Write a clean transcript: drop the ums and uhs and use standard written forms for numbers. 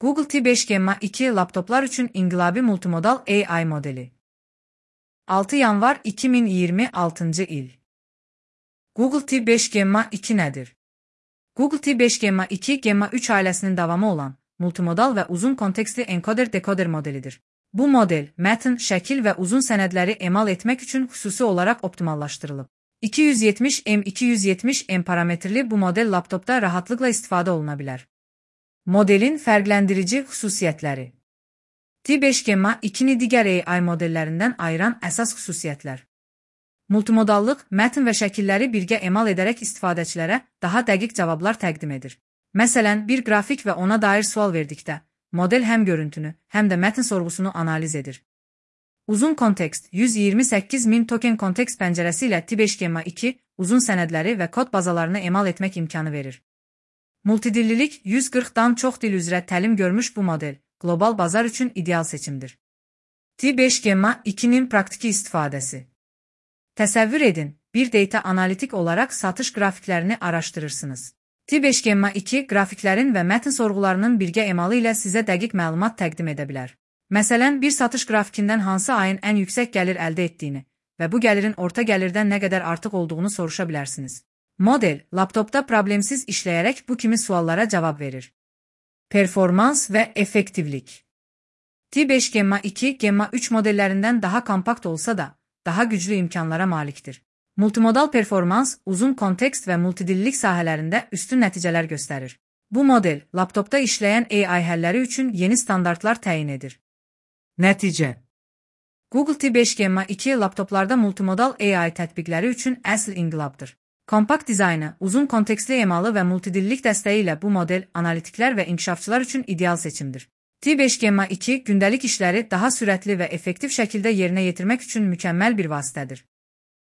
Google T5 Gemma 2 laptoplar üçün inqilabi multimodal AI modeli. 6 yanvar 2026 il. Google T5 Gemma 2 nədir? Google T5 Gemma 2 Gemma 3 ailəsinin davamı olan multimodal və uzun kontekstli encoder-decoder modelidir. Bu model, mətn, şəkil və uzun sənədləri emal etmək üçün xüsusi olaraq optimallaşdırılıb. 270M parametrli bu model laptopda rahatlıqla istifadə oluna bilər. Modelin fərqləndirici xüsusiyyətləri. T5 Gemma 2-ni digər AI modellərindən ayıran əsas xüsusiyyətlər. Multimodallıq, mətn və şəkilləri birgə emal edərək istifadəçilərə daha dəqiq cavablar təqdim edir. Məsələn, bir qrafik və ona dair sual verdikdə, model həm görüntünü, həm də mətn sorğusunu analiz edir. Uzun kontekst, 128.000 token kontekst pəncərəsi ilə T5 Gemma 2 uzun sənədləri və kod bazalarını emal etmək imkanı verir. Multidillilik, 140-dan çox dil üzrə təlim görmüş bu model, qlobal bazar üçün ideal seçimdir. T5 Gemma 2-nin praktiki istifadəsi. Təsəvvür edin, bir data analitik olaraq satış qrafiklərini araşdırırsınız. T5 Gemma 2 qrafiklərin və mətn sorğularının birgə emalı ilə sizə dəqiq məlumat təqdim edə bilər. Məsələn, bir satış qrafikindən hansı ayın ən yüksək gəlir əldə etdiyini və bu gəlirin orta gəlirdən nə qədər artıq olduğunu soruşa bilərsiniz. Model, laptopda problemsiz işləyərək bu kimi suallara cavab verir. Performans və effektivlik. T5 Gemma 2 Gemma 3 modellərindən daha kompakt olsa da, daha güclü imkanlara malikdir. Multimodal performans, uzun kontekst və multidillilik sahələrində üstün nəticələr göstərir. Bu model, laptopda işləyən AI həlləri üçün yeni standartlar təyin edir. Nəticə. Google T5 Gemma 2 laptoplarda multimodal AI tətbiqləri üçün əsl inqilabdır. Kompakt dizaynı, uzun kontekstli emalı və multidillilik dəstəyi ilə bu model analitiklər və inkişafçılar üçün ideal seçimdir. T5 Gemma 2 gündəlik işləri daha sürətli və effektiv şəkildə yerinə yetirmək üçün mükəmməl bir vasitədir.